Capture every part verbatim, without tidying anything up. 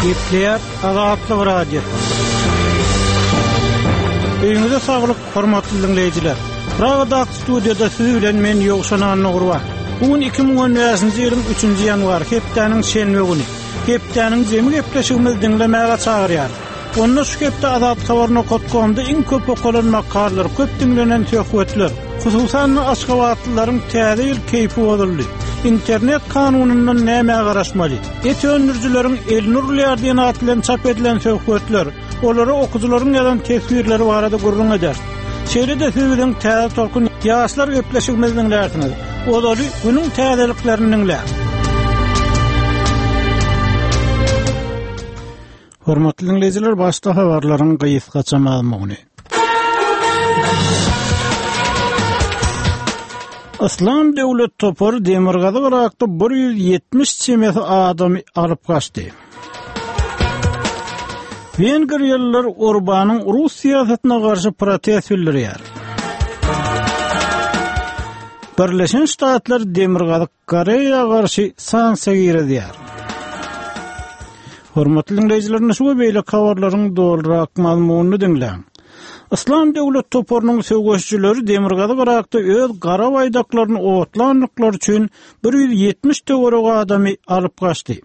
Gepleýär Azatlyk Radiosy. Öýüňize saglyk, hormatly diňleýjiler. Pragadaky studiýada siz bilen men Ýowşan Annagurban. Bu gün iki müň on bäşinji ýylyň üçünji ýanwary, hepdäniň şenbe güni. Hepdäniň jemi gepleşigimizi diňlemäge çagyrýarys. Onda şu hepde Azathabar nokat komda iň köp okalan makalalar, köp diňlenen söhbetler, hususan-da aşgabatlylaryň täze ýyl keýpi bozuldy. Internet kanunyndan nämä garaşmaly? Et öndürijileriň elini urulýar diýen at bilen çap edilen söhbetler, olara okyjylaryň ýazan teswirleri barada gürrüň eder. Şeýle-de siz biziň Täze Tolkun ýaşlar gepleşigimizi diňlärsiňiz. Ozaly günüň täzeliklerini diňläň. Hormatly diňleýjiler, başda habarlaryň gysgaça mazmuny. Islam döwlet topary Demirgazyk Irakda bir ýüz ýetmiş çemesi adamy alyp gaçdy. Wengriýalylar Orbanyň rus syýasatyna garşy protest bildirýär. Birleşen Ştatlar Demirgazyk Koreýa garşy sanksiýa girizýär. Hormatly diňleýjiler, şu we beýleki habarlaryň dolurak mazmunyny diňläň. Islam döwlet toparynyň söweşçileri Demirgazyk Irakda öz gara baýdaklaryny otlandyklary üçin bir ýüz ýetmiş töweregi adamy alyp gaçdy.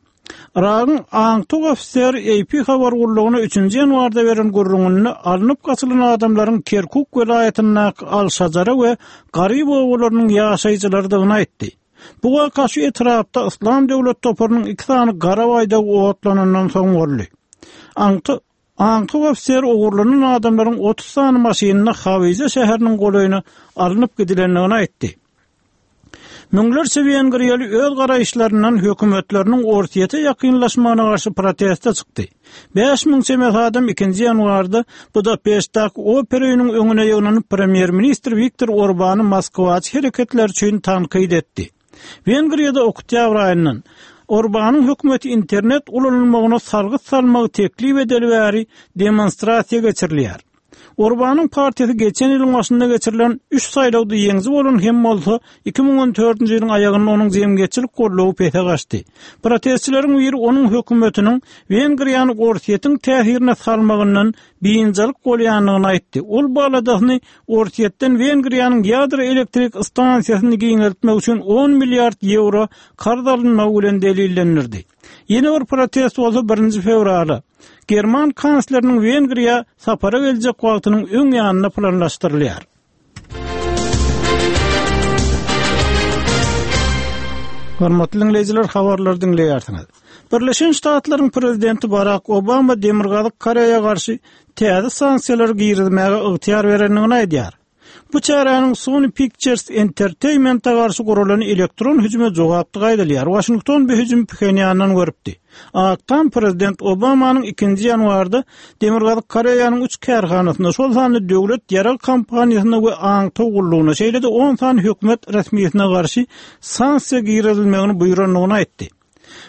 Iragyň aňtuk ofiseri A P habar gullugyna üçünji ýanwarda beren gürrüňinde alnyp gaçylan adamlaryň Kerkuk welaýatyndaky Al-Şajara we Garyp obalarynyň ýaşaýjylarydygyny aýtdy. Bu waka şu etrapda Islam döwlet toparynyň iki sany gara baýdagy otlanandan soň boldy. Aňtuk, aňtuk ofiseri ogurlanan adamlaryň otuz sany maşynynda Hawize şäheriniň golaýyna alnyp gidilendigini aýtdy. Müňlerçe wengriýaly öz garaýyşlaryndan hökümetleriniň Orsýete ýakynlaşmagyna garşy proteste çykdy. Bäş müň çemesi adam ikinji ýanwarda Budapeştdäki opera öýüniň öňüne ýygnanyp premýer-ministr Viktor Orbany Moskwaçy hereketler üçin tankyt etdi. Wengriýada oktýabr aýyndan Orbanyň hökümeti internet ulanylmagyna salgyt salmagy teklip edeli bäri demonstrasiýa geçirilýär. Orbanyň partiýasy geçen ýylyň başynda geçirilen üç saýlawda ýeňiji bolan hem bolsa, iki müň on dördünji ýylyň aýagynda onuň jemgyýetçilik goldawy pese gaçdy. Protestçileriň biri onuň hökümetiniň Wengriýany Orsýetiň täsirine salmagyndan biynjalyk bolýandygyny aýtdy. Ol bu aladasyny Orsýetden Wengriýanyň ýadro elektrik stansiýasyny giňeltmek üçin on milliard ýewro karz alynmagy bilen delillendirdi. Ýene bir protest bolsa birinji fewrala German kansleriniň Wengriýa sapara geljek wagtynyň öň ýanynda planlaşdyrylýar. Hormatly diňleýjiler, habarlary diňleýärsiňiz. Birleşen Ştatlaryň prezidenti Barack Obama Demirgazyk Koreýa garşy täze sanksiýalary girizmäge ygtyýar berendigini aýdýar. Bu çäräniň Sony Pictures Entertainment-e garşy guralan elektron hüjüme jogapdygy aýdylýar. Washington bu hüjümi Phenýandan görüpdi. Ak Tam prezident Obamanyň ikinji ýanwarda Demirgazyk Koreýanyň üç kärhanasynda, şol sanda döwlet ýarag kompaniýasyna we aňtaw gullugyna, şeýle-de on sany hökümet resmisine garşy sanksiýa girizilmegini buýrandygyny aýtdy.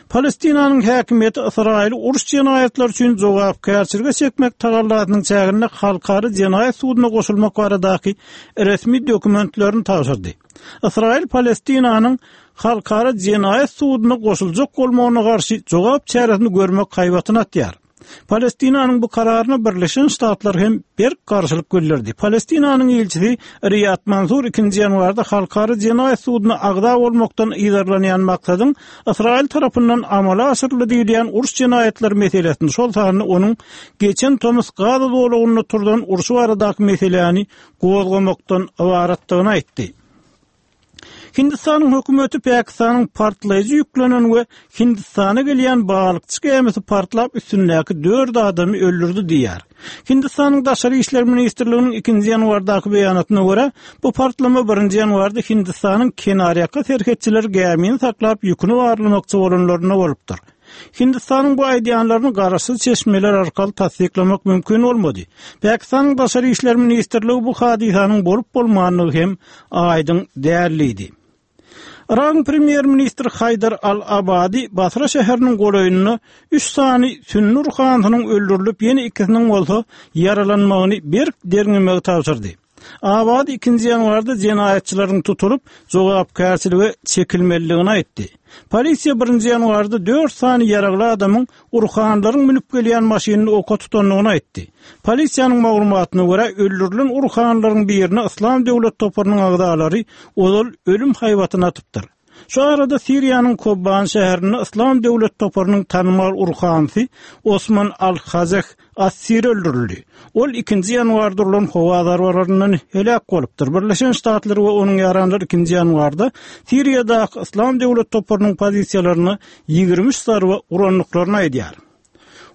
Palestinanyň häkimiýeti Ysraýyly uruş jenaýatlary üçin jogapkärçilige çekmek tagallasynyň çäginde halkara jenaýat suduna goşulmak baradaky resmi dokumentlerini tabşyrdy. Ysraýyl Palestinanyň halkara jenaýat suduna goşuljak bolmagyna garşy jogap çäresini görmek haýbatyny atýar. Palestinanyň bu kararyna Birleşen Ştatlar hem berk garşylyk bildirdi. Palestinanyň ilçisi Riyad Mansur ikinji ýanwarda halkara jenaýat suduna agza bolmakdan yzarlanýan maksadyň Ysraýyl tarapyndan amala aşyryldy diýilýän uruş jenaýatlary meselesini, şol sanda onuň geçen tomus Gaza zolagynda turzan urşy baradaky meseläni gozgamakdan ybaratdygyny aýtdy. Hindistanyň hökümeti Pakistanyň partlaýjy ýüklenen we Hindistana gelýän balykçy gämisi partlap üstündäki dört adamy öldürdi diýýär. Hindistanyň Daşary işler ministrliginiň ikinji ýanwardaky beýanatyna görä, bu partlama birinji ýanwarda Hindistanyň kenarýaka serhetçileri gämini saklap ýüküni barlamakçy bolanlarynda bolupdyr. Hindistanyň bu aýdýanlaryny garaşsyz çeşmeler arkaly tassyklamak mümkin bolmady. Pakistanyň Daşary işler ministrligi bu hadysanyň bolup bolmandygy hem aýdyň däldi. Iragyň premýer-ministri Haýdar Al-Abadi Basra şäheriniň golaýynda üç sany sünni ruhanysynyň öldürilip, ýene ikisiniň bolsa ýaralanmagyny berk derňemegi tabşyrdy. Abadi ikinji ýanwarda jenaýatçylaryň tutulyp, jogapkärçilige çekilmelidigini aýtdy. Polisiýa birinji ýanwarda dört sany ýaragly adamyň urhanlaryň münüp gelýän maşynyny oka tutandygyny aýtdy. Polisiýanyň maglumatyna görä, öldürilen urhanlaryň birine Yslam döwlet toparynyň agzalary ozal ölüm haýbatyny atypdyr. Şu arada Siriýanyň Kobani şäherinde Yslam döwlet toparynyň tanymal urhanysy Osman al-Hazeh Assir öldürildi. Ol ikinji ýanwarda urlan howa zarbalaryndan heläk bolupdyr. Birleşen Ştatlar we onuň ýaranlary ikinji ýanwarda Siriýadaky Yslam döwlet toparynyň pozisiýalaryna ýigrimi üç zarba urandyklaryny aýdýar.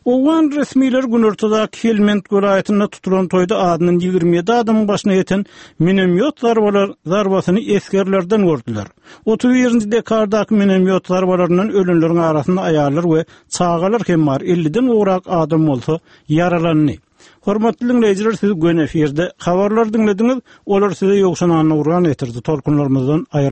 Owgan resmileri günortadaky Helmend welaýatynda tutulan toýda azyndan ýigrimi ýedi adamyň başyna ýeten minomýot zarbalar zarbasyny esgerlerden gördüler. Otuz birinji dekabrdaky minomýot zarbalaryndan ölenleriň arasynda aýallar we çagalar hem bar, elliden gowrak adam bolsa ýaralandy. Hormatly diňleýjiler, siz göni efirde habarlary diňlediňiz, olary size Ýowşan Annagurban getirdi. Tolkunlarymyzdan aýry